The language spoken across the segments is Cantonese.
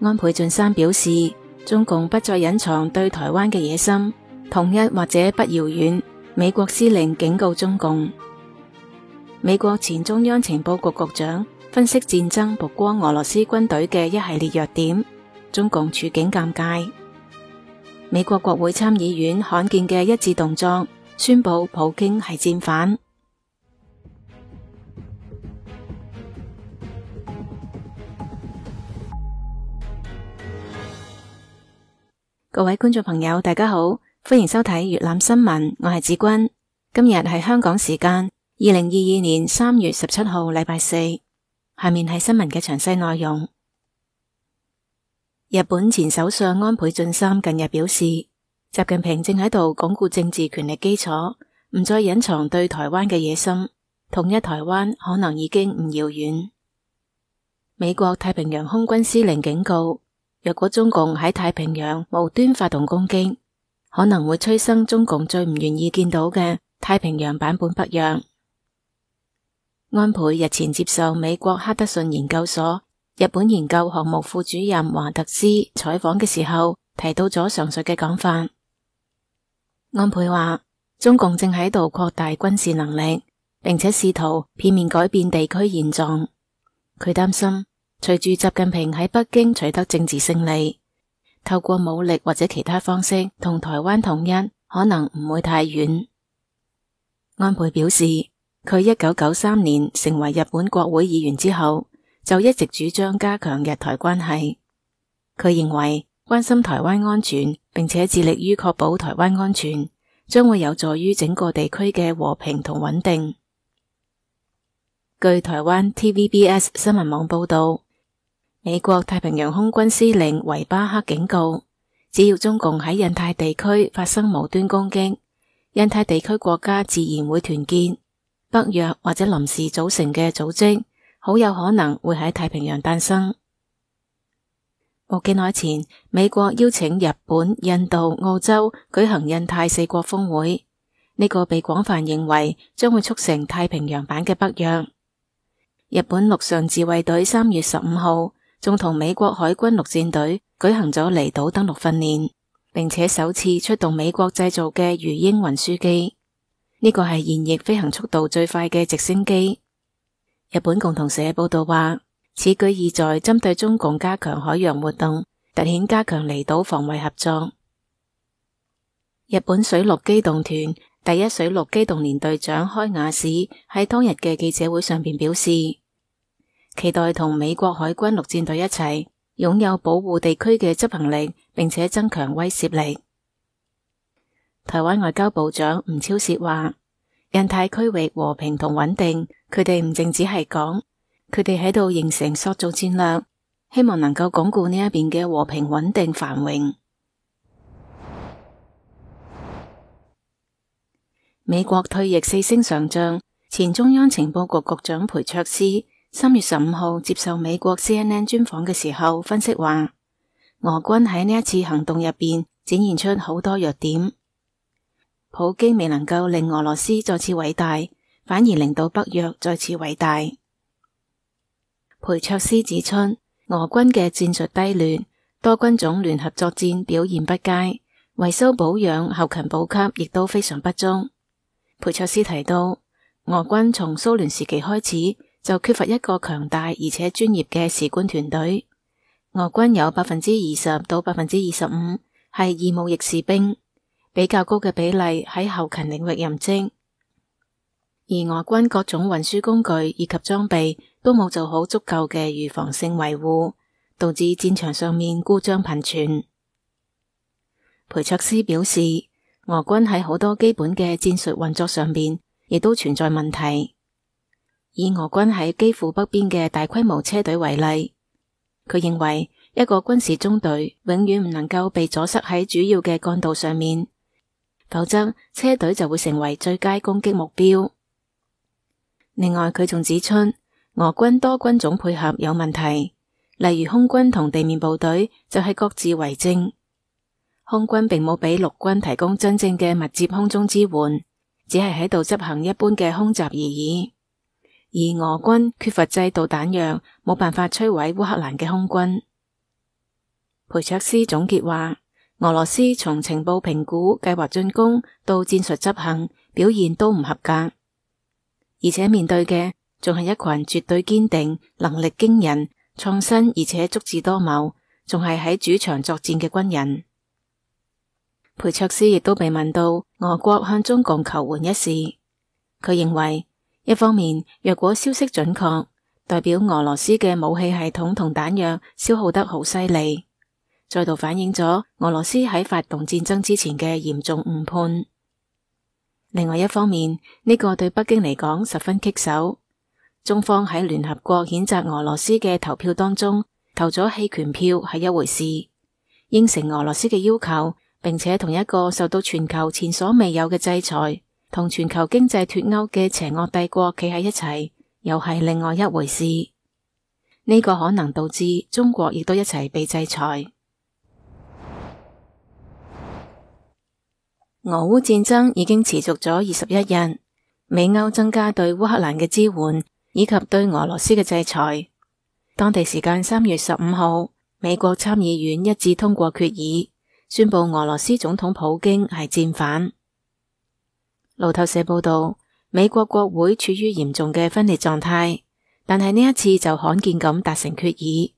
安倍晉三表示，中共不再隱藏對台灣嘅野心，統一或者不遙遠。美國司令警告中共。美國前中央情報局局長分析戰爭曝光俄羅斯軍隊嘅一系列弱點，中共處境尷尬。美國國會參議院罕見嘅一致動作，宣布普京係戰犯。各位觀眾朋友，大家好，歡迎收睇粵覽新聞，我係子君。今日係香港時間2022年3月17號禮拜四。下面係新聞嘅詳細內容。日本前首相安倍晉三近日表示，習近平正喺度鞏固政治權力基礎，唔再隱藏對台灣嘅野心，統一台灣可能已經唔遙遠。美國太平洋空軍司令警告，若果中共喺太平洋無端發動攻擊，可能會催生中共最唔願意見到嘅太平洋版本北約。安倍日前接受美國哈德遜研究所日本研究項目副主任華特斯採訪嘅時候，提到咗上述嘅講法。安倍話，中共正喺度擴大軍事能力，並且試圖片面改變地區現狀。佢擔心，隨住習近平喺北京取得政治勝利，透過武力或者其他方式同台灣統一，可能唔會太遠。安倍表示，佢1993年成為日本國會議員之後，就一直主張加強日台關係。佢認為關心台灣安全，並且致力於確保台灣安全，將會有助於整個地區嘅和平同穩定。據台灣 TVBS 新聞網報道，美國太平洋空軍司令維巴克警告，只要中共喺印太地區發生無端攻擊，印太地區國家自然會團結，北約或者臨時組成嘅組織好有可能會喺太平洋誕生。冇幾耐前，美國邀請日本、印度、澳洲舉行印太四國峰會，呢個被廣泛認為將會促成太平洋版嘅北約。日本陸上自衛隊3月15號仲同美國海軍陸戰隊舉行咗離島登陸訓練，並且首次出動美國製造嘅魚鷹運輸機，呢個係現役飛行速度最快嘅直升機。日本共同社報道話，此舉意在針對中共加強海洋活動，凸顯加強離島防衛合作。日本水陸機動團第一水陸機動連隊長開雅史喺當日嘅記者會上邊表示，期待同美國海軍陸戰隊一齊擁有保護地區嘅執行力，並且增強威懾力。台灣外交部長吳釗燮話，印太區域和平同穩定，佢哋唔淨止係講，佢哋喺度形成塑造戰略，希望能夠鞏固呢一邊嘅和平穩定繁榮。美國退役4星上將前中央情報局局長裴卓斯3月15號接受美國 CNN 專訪嘅時候分析話，俄軍喺呢一次行動入邊展現出好多弱點，普京未能夠令俄羅斯再次偉大，反而令到北約再次偉大。裴卓斯指出，俄軍嘅戰術低劣，多軍種聯合作戰表現不佳，維修保養、後勤補給亦都非常不足。裴卓斯提到，俄軍從蘇聯時期開始就缺乏一個強大而且專業嘅士官團隊，俄軍有 20% 到 25% 係義務役士兵，比較高嘅比例喺後勤領域任職，而俄軍各種運輸工具以及裝備都冇做好足夠嘅預防性維護，導致戰場上面故障頻傳。裴卓斯表示，俄軍喺好多基本嘅戰術運作上面亦都存在問題。以俄軍喺基輔北邊嘅大規模車隊為例，佢認為一個軍事中隊永遠唔能夠被阻塞喺主要嘅幹道上面，否則車隊就會成為最佳攻擊目標。另外，佢仲指出，俄軍多軍種配合有問題，例如空軍同地面部隊就係各自為政。空軍並冇俾陸軍提供真正嘅密接空中支援，只係喺度執行一般嘅空襲而已。而俄軍缺乏制導彈藥，冇辦法摧毀烏克蘭嘅空軍。裴卓斯總結話，俄羅斯從情報評估、計劃進攻到戰術執行，表現都唔合格，而且面對嘅仲係一群絕對堅定、能力驚人、創新而且足智多謀，仲係喺主場作戰嘅軍人。裴卓斯亦都被問到俄國向中共求援一事，佢認為一方面若果消息準確，代表俄羅斯嘅武器系統同彈藥消耗得好犀利，再度反映咗俄羅斯喺發動戰爭之前嘅嚴重誤判。另外一方面，呢個對北京嚟講十分棘手，中方喺聯合國譴責俄羅斯嘅投票當中投咗棄權票係一回事，應承俄羅斯嘅要求，並且同一個受到全球前所未有嘅制裁，同全球經濟脫鈎嘅邪惡帝國企喺一齊，又係另外一回事。呢個可能導致中國亦都一齊被制裁。俄烏戰爭已經持續咗21日，美歐增加對烏克蘭嘅支援，以及對俄羅斯嘅制裁。當地時間3月15號，美國參議院一致通過決議，宣布俄羅斯總統普京係戰犯。路透社報道，美國國會處於嚴重嘅分裂狀態，但係呢一次就罕見咁達成決議。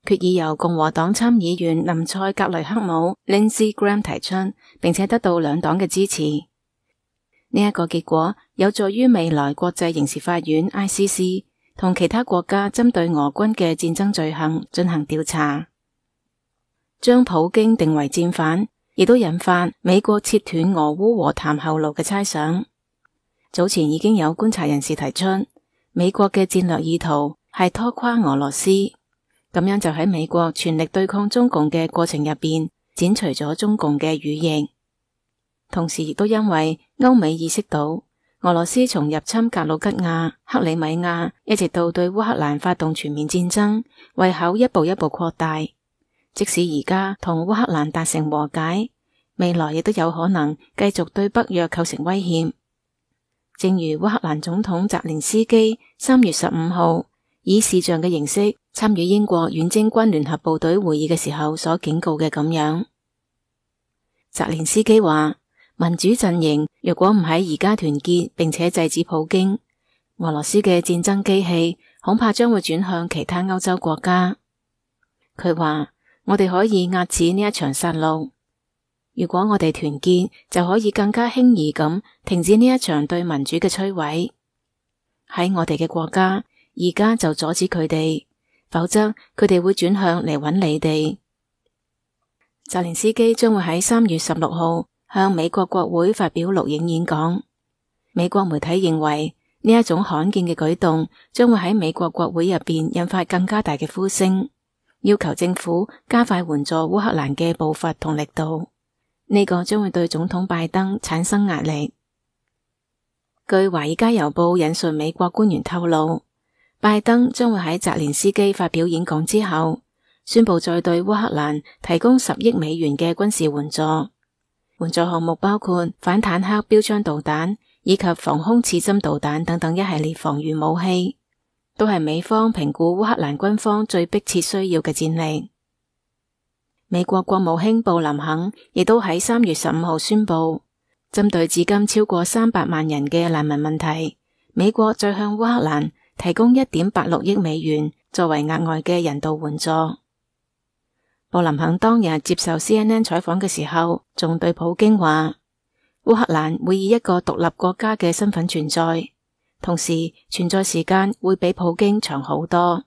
決議由共和黨參議員林賽格雷克姆 Lindsey Graham 提出，並且得到兩黨嘅支持。呢一個結果有助於未來國際刑事法院 ICC 同其他國家針對俄軍嘅戰爭罪行進行調查。將普京定為戰犯，亦都引發美國切斷俄烏和談後路嘅猜想。早前已經有觀察人士提出，美國嘅戰略意圖係拖垮俄羅斯，咁樣就喺美國全力對抗中共嘅過程入邊剪除咗中共嘅羽翼。同時亦都因為歐美意識到俄羅斯從入侵格魯吉亞、克里米亞一直到對烏克蘭發動全面戰爭，胃口一步一步擴大。即使而家同烏克蘭達成和解，未來亦都有可能繼續對北約構成威脅。正如烏克蘭總統澤連斯基3月15號以視像嘅形式參與英國遠征軍聯合部隊會議嘅時候所警告嘅咁樣，澤連斯基話：民主陣營若果唔喺而家團結並且制止普京，俄羅斯嘅戰爭機器恐怕將會轉向其他歐洲國家。佢話：我哋可以遏止呢一場殺戮。如果我哋團結，就可以更加輕易咁停止呢一場對民主嘅摧毀。喺我哋嘅國家，而家就阻止佢哋，否則佢哋會轉向嚟揾你哋。澤連斯基將會喺3月16號向美國國會發表錄影演講。美國媒體認為呢一種罕見嘅舉動將會喺美國國會入邊引發更加大嘅呼聲，要求政府加快援助烏克蘭嘅步伐同力度。呢個將會對總統拜登產生壓力。據《華爾街郵報》引述美國官員透露，拜登將會喺澤連斯基發表演講之後，宣布再對烏克蘭提供10億美元嘅軍事援助。援助項目包括反坦克標槍導彈以及防空刺針導彈等等一系列防禦武器，都係美方評估烏克蘭軍方最迫切需要嘅戰力。美國國務卿布林肯亦都喺3月15號宣布，針對至今超過300萬人嘅難民問題，美國再向烏克蘭提供1.86億美元作為額外嘅人道援助。布林肯當日接受 CNN 採訪嘅時候，仲對普京話，烏克蘭會以一個獨立國家嘅身份存在，同時存在時間會比普京長好多。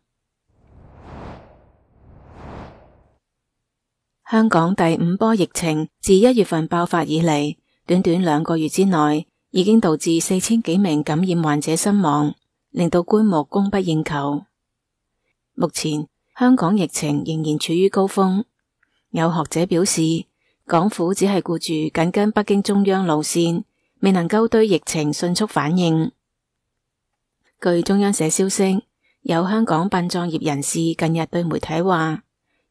香港第5波疫情自1月份爆發以嚟，短短2個月之內，已經導致4000幾名感染患者身亡，令到棺木供不應求。目前香港疫情仍然處於高峰，有學者表示，港府只係顧住緊跟北京中央路線，未能夠對疫情迅速反應。據中央社消息，有香港殯葬業人士近日對媒體話，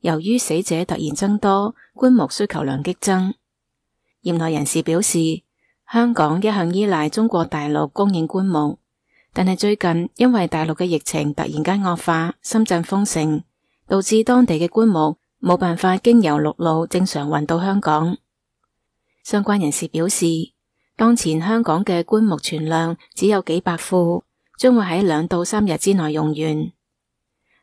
由於死者突然增多，棺木需求量激增。業內人士表示，香港一向依賴中國大陸供應棺木，但係最近因為大陸嘅疫情突然間惡化，深圳封城，導致當地嘅棺木冇辦法經由陸路正常運到香港。相關人士表示，當前香港嘅棺木存量只有幾百副，將會喺2到3日之內用完。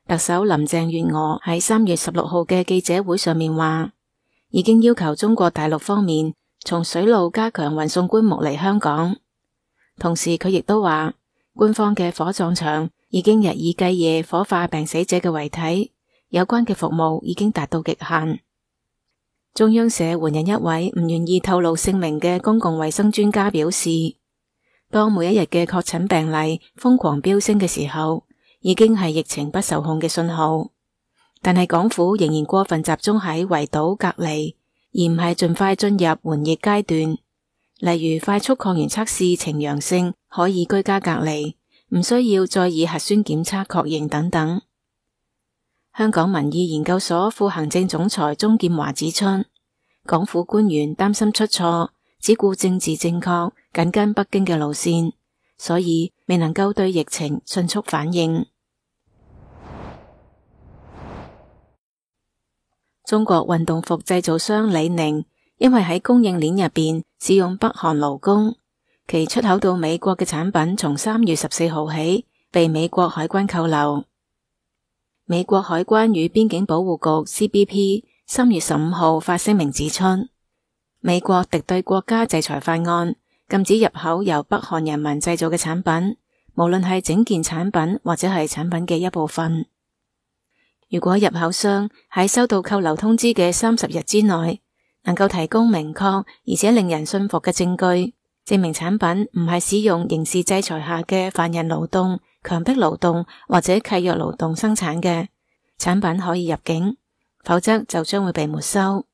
特首林鄭月娥喺3月16號嘅記者會上面話，已經要求中國大陸方面從水路加強運送棺木嚟香港。同時佢亦都話，官方嘅火葬場已經日以繼夜火化病死者嘅遺體，有關嘅服務已經達到極限。中央社援引一位唔願意透露姓名嘅公共衛生專家表示，當每一日嘅確診病例瘋狂飆升嘅時候，已經係疫情不受控嘅信號。但係港府仍然過分集中喺圍堵隔離，而唔係盡快進入緩疫階段。例如快速抗原測試呈陽性，可以居家隔離，唔需要再以核酸檢測確認等等。香港民意研究所副行政總裁鍾劍華指出，港府官員擔心出錯，只顧政治正確，緊跟北京嘅路線，所以未能夠對疫情迅速反應。中國運動服製造商李寧因為喺供應鏈入邊使用北韓勞工，其出口到美國嘅產品從3月14號起被美國海關扣留。美國海關與邊境保護局 CBP 3月15號發聲明指出，美國敵對國家制裁法案禁止入口由北韓人民製造嘅產品，無論係整件產品或者係產品嘅一部分。如果入口商喺收到扣留通知嘅30日之內，能夠提供明確而且令人信服嘅證據，證明產品唔係使用刑事制裁下嘅犯人勞動、強迫勞動或者契約勞動生產嘅產品可以入境，否則就將會被沒收。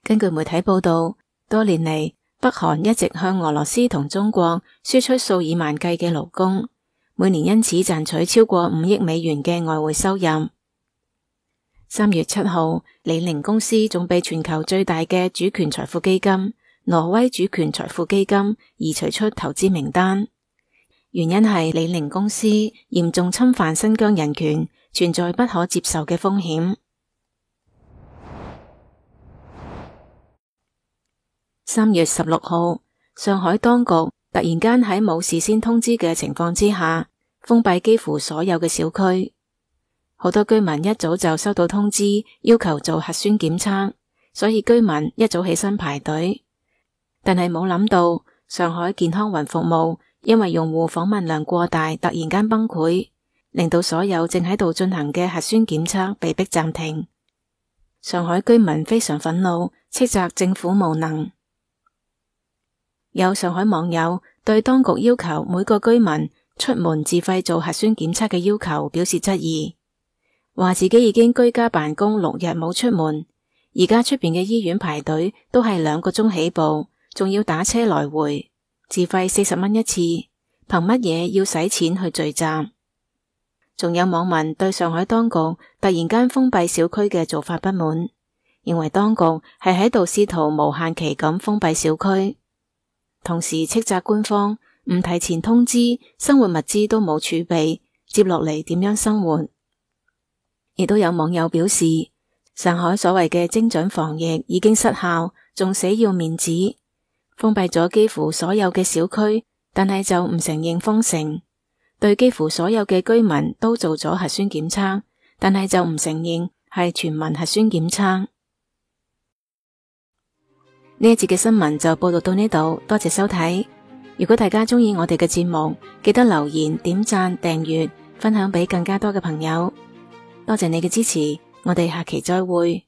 根據媒體報道，多年嚟，北韓一直向俄羅斯同中國輸出數以萬計嘅勞工，每年因此賺取超過5億美元嘅外匯收入。3月7號，李寧公司仲被全球最大嘅主權財富基金挪威主權財富基金移除出投資名單，原因係李寧公司嚴重侵犯新疆人權，存在不可接受嘅風險。3月16號，上海當局突然間喺冇事先通知嘅情況之下，封閉幾乎所有嘅小區。好多居民一早就收到通知，要求做核酸檢測，所以居民一早起身排隊。但係冇諗到，上海健康雲服務因為用戶訪問量過大，突然間崩潰，令到所有正喺度進行嘅核酸檢測被迫暫停。上海居民非常憤怒，斥責政府無能。有上海網友對當局要求每個居民出門自費做核酸檢測嘅要求表示質疑，話自己已經居家辦公6日冇出門，而家出邊嘅醫院排隊都係2個鐘起步，仲要打車來回，自費40蚊一次，憑乜嘢要使錢去聚集？仲有網民對上海當局突然間封閉小區嘅做法不滿，認為當局係喺度試圖無限期咁封閉小區，同時斥責官方唔提前通知，生活物資都冇儲備，接落嚟點樣生活？亦都有網友表示，上海所謂嘅精準防疫已經失效，仲死要面子，封閉咗幾乎所有嘅小區，但係就唔承認封城，對幾乎所有嘅居民都做咗核酸檢測，但係就唔承認係全民核酸檢測。呢一節嘅新聞就報道到呢度，多謝收睇。如果大家鍾意我哋嘅節目，記得留言、點讚、訂閱、分享俾更加多嘅朋友。多謝你嘅支持，我哋下期再會。